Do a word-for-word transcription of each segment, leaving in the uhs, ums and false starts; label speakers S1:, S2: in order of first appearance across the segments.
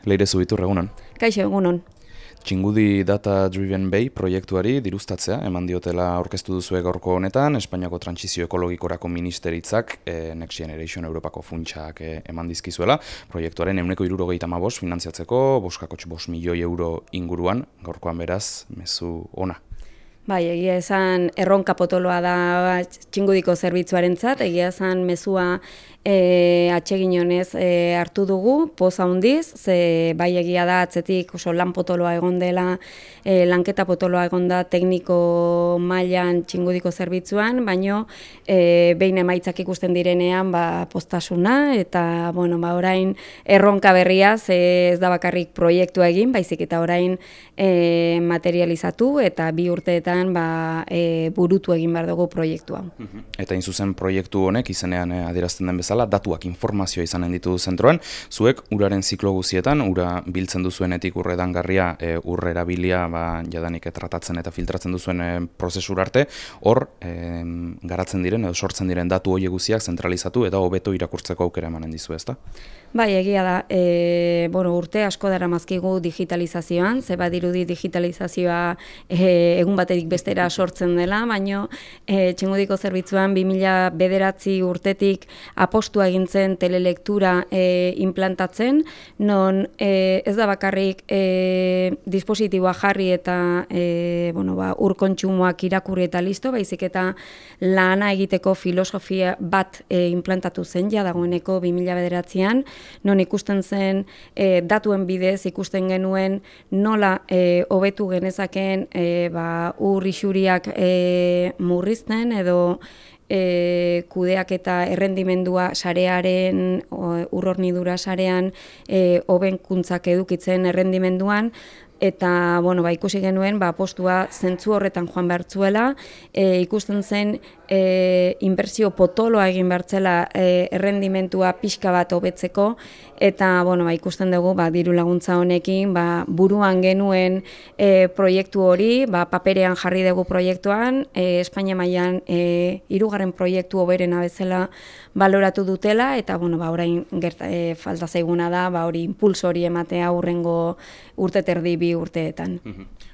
S1: Leire Zubitur, egunon.
S2: Kaixo, egunon.
S1: Txingudi Data Driven Bay proiektuari diruztatzea eman diotela aurkeztu duzue gaurko honetan, Espainiako Trantsizio Ekologikorako Ministeritzak e, Next Generation Europako funtsak e, eman dizkizuela. Proiektuaren ehuneko hirurogeita hamabost finantziatzeko, boskakotx bost milioi euro inguruan, gaurkoan beraz, mezu ona.
S2: Bai, egia esan erronka potoloa da Txingudiko zerbitzuarentzat, egia esan mezua e, atsegin honez e, hartu dugu, poz handiz, ze bai egia da atzetik oso lan potoloa egon dela, e, lanketa potoloa egon da tekniko mailan Txingudiko zerbitzuan, baino e, behin emaitzak ikusten direnean ba, postasuna, eta bueno, ba, orain erronka berria, ze ez da bakarrik proiektua egin, baizik eta orain e, materializatu eta bi urteetan ba, e, burutu egin behar dugu proiektu hau.
S1: Eta in zuzen proiektu honek izenean eh, adierazten den bezala, datuak informazioa izanen ditu zentroan, zuek uraren ziklo guzietan, ura biltzen duzuenetik urredangarria, e, urre erabilia ba, jadanik tratatzen eta filtratzen duzuen e, prozesura arte, hor e, garatzen diren edo sortzen diren datu horiek guztiak zentralizatu eta hobeto irakurtzeko aukera emanen dizu, ezta?
S2: Bai, egia da, e, bueno, urte asko dara mazkigu digitalizazioan, ze badirudi digitalizazioa e, egun batetik bestera sortzen dela, baino e, Txingudiko zerbitzuan bi mila bederatzi urtetik apostua egintzen telelektura e, implantatzen, non e, ez da bakarrik e, dispositiboa jarri eta e, bueno, ba, ur kontsumoak irakurri eta listo, baizik eta lana egiteko filosofia bat e, implantatu zen, ja dagoeneko bi mila bederatzian, non ikusten zen e, datuen bidez, ikusten genuen nola e, hobetu genezakeen e, ba, ur isuriak e, murrizten edo e, kudeak eta errendimendua sarearen, ur hornidura sarean e, hobenkuntzak edukitzen errendimenduan, eta bueno, ba, ikusi genuen ba, postua zentzu horretan joan behartzuela, e, ikusten zen e, inbertsio potoloa egin behartzela e, errendimentua pixka bat hobetzeko, eta bueno, ba, ikusten dugu ba, diru laguntza honekin ba, buruan genuen e, proiektu hori, ba, paperean jarri dugu proiektuan, e, Espainia mailan e, hirugarren proiektu hoberena bezala baloratu dutela, eta bueno, ba, orain gerta, e, falta zaiguna da ba, hori impulso hori ematea hurrengo urte terdi bi urteetan.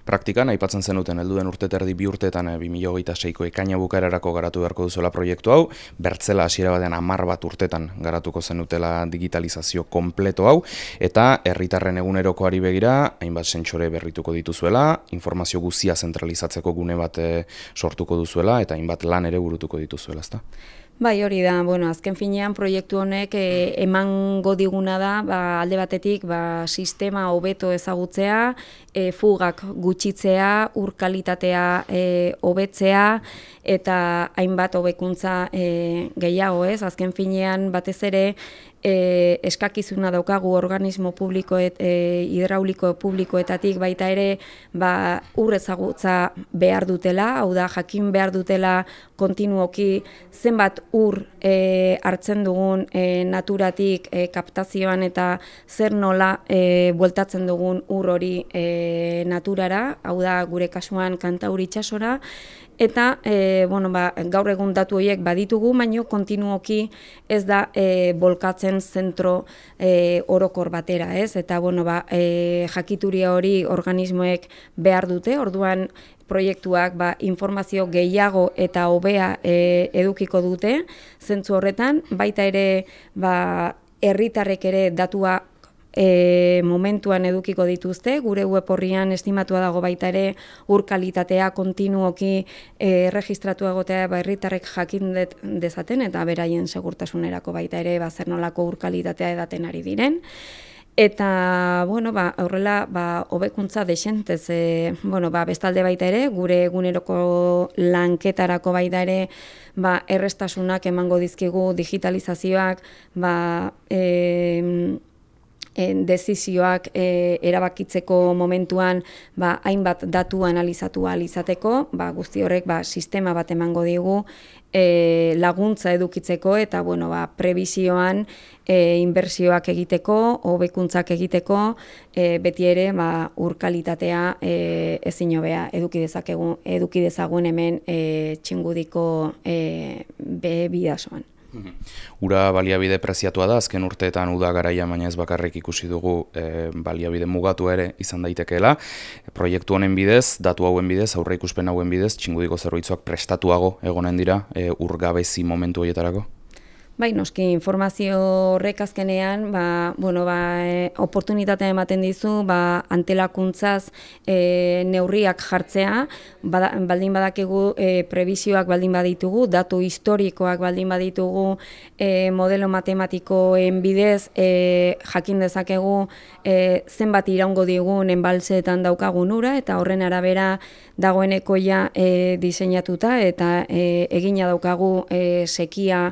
S1: Praktikan, aipatzen zenuten helduen urte terdi bi urteetan bi mila hogeita seiko ekaina bukaerarako garatu beharko duzuela proiektu hau, bertzela hasiera batean hamar bat urtetan garatuko zenutela digitalizazio kompleto hau, eta herritarren egunerokoari begira, hainbat sentsore berrituko dituzuela, informazio guztia zentralizatzeko gune bat sortuko duzuela, eta hainbat lan ere burutuko dituzuela, ezta?
S2: Bai, hori da, bueno, azken finean proiektu honek e, emango diguna da, ba, alde batetik ba, sistema hobeto ezagutzea, e, fugak gutxitzea, ur kalitatea e, hobetzea, eta hainbat hobekuntza e, gehiago, ez? Azken finean batez ere e, eskakizuna daukagu organismo publiko et, e, hidrauliko publikoetatik baita ere ba, ur ezagutza behar dutela, hau da jakin behar dutela kontinuoki zenbat ur e, hartzen dugun e, naturatik e, kaptazioan eta zer nola e, bueltatzen dugun ur hori e, naturara, hau da gure kasuan Kantauri itsasora, eta e, bueno, ba, gaur egun datu horiek baditugu, baino kontinuoki ez da e, bolkatzen zentro e, orokor batera, ez? Eta bueno, ba, e, jakituria hori organismoek behar dute, orduan proiektuak ba, informazio gehiago eta hobea e, edukiko dute, zentzu horretan, baita ere ba, herritarrek ere datua E, momentuan edukiko dituzte, gure web horrian estimatua dago baita ere ur kalitatea kontinuoki e, registratu egotea ba, herritarrek jakin dezaten eta beraien segurtasunerako baita ere ba, zer nolako ur kalitatea edaten ari diren. Eta, bueno, ba, aurrela, ba, hobekuntza desentez, e, bueno, ba, bestalde baita ere, gure eguneroko lanketarako baita ere, ba, errestasunak emango dizkigu digitalizazioak, ba, e, dezizioak e, erabakitzeko momentuan ba, hainbat datu analizatu ahal izateko, ba, guzti horrek ba, sistema bat emango digu e, laguntza edukitzeko eta bueno, ba, prebizioan e, inbertsioak egiteko, hobekuntzak egiteko, e, beti ere ba, ur kalitatea e, ezin hobea eduki dezakegu, eduki dezagun hemen e, Txingudiko e, be bidasoan.
S1: Ura baliabide preziatua da, azken urteetan uda garaia, baina ez bakarrik ikusi dugu e, baliabide mugatu ere izan daitekeela. Proiektu honen bidez, datu hauen bidez, aurre ikuspen hauen bidez, Txingudiko zerbitzuak prestatuago egonen dira e, ur gabezi momentu horietarako?
S2: Bai, noski, informazio horrek azkenean, ba, bueno, ba, e, oportunitatea ematen dizu, ba, antelakuntzaz e, neurriak jartzea, bada, baldin badakigu e, prebisioak baldin baditugu, datu historikoak baldin baditugu, e, modelo matematikoen bidez, e, jakin dezakegu e, zenbat iraungo digun enbaltzeetan daukagun ura, eta horren arabera dagoeneko ja e, diseinatuta, eta e, egina daukagu e, sekia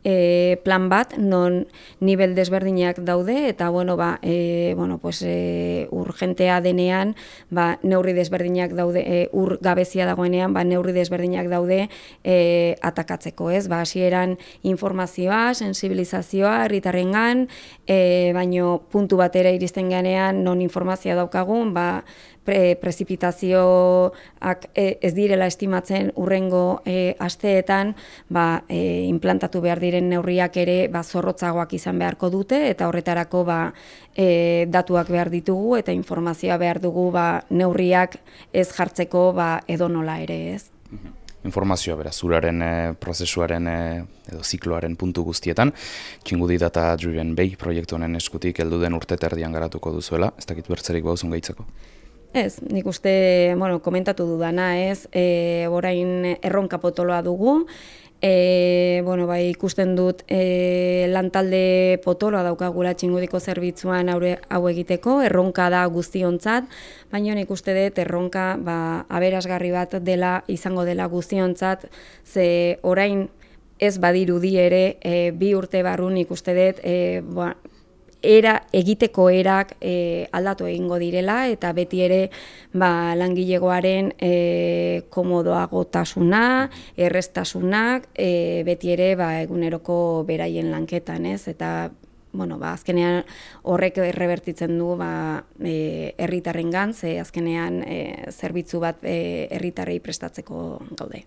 S2: E, plan bat, non nivel desberdinak daude, eta bueno, ba, e, bueno, pues, e, urgentea denean, ba, neurri desberdinak daude, e, ur gabezia dagoenean, ba, neurri desberdinak daude e, atakatzeko, ez? Ba, hasieran informazioa, sensibilizazioa, herritarrengan, e, baino puntu batera iristen ganean, non informazioa daukagun, ba, Pre, prezipitazioak e, ez direla estimatzen urrengo e, asteetan, ba, e, implantatu behar diren neurriak ere ba, zorrotzagoak izan beharko dute, eta horretarako ba, e, datuak behar ditugu eta informazioa behar dugu ba, neurriak ez jartzeko ba, edonola ere, ez.
S1: Informazioa beraz, uraren e, prozesuaren e, edo zikloaren puntu guztietan, Txingudi Data Driven Bay proiektu honen eskutik heldu den urte terdian garatuko duzuela, ez dakit bertzerik bauzun gaitzeko?
S2: Ez, nik uste, bueno, komentatu dudana, ez, e, orain erronka potoloa dugu, e, bueno, bai, ikusten dut e, lantalde potoloa daukagula Txingudiko zerbitzuan aure, hau egiteko, erronka da guztiontzat, baina nik uste dut erronka ba, aberasgarri bat dela, izango dela guztiontzat, ze orain ez badirudi ere, e, bi urte barrun nik uste dut, e, ba, era egiteko erak e, aldatu egingo direla, eta beti ere ba, langilegoaren e, komodoagotasuna, erreztasunak, e, beti ere ba, eguneroko beraien lanketan, ez? Eta bueno, ba, azkenean horrek errebertitzen du ba, e, herritarrengan, ze azkenean e, zerbitzu bat e, herritarrei prestatzeko gaude.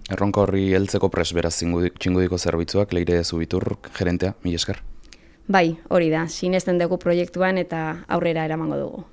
S1: Erronka horri heltzeko pres beraz Txingudiko zerbitzuak, Leire Zubitur, gerentea, mila esker.
S2: Bai, hori da, sinesten dugu proiektuan eta aurrera eramango dugu.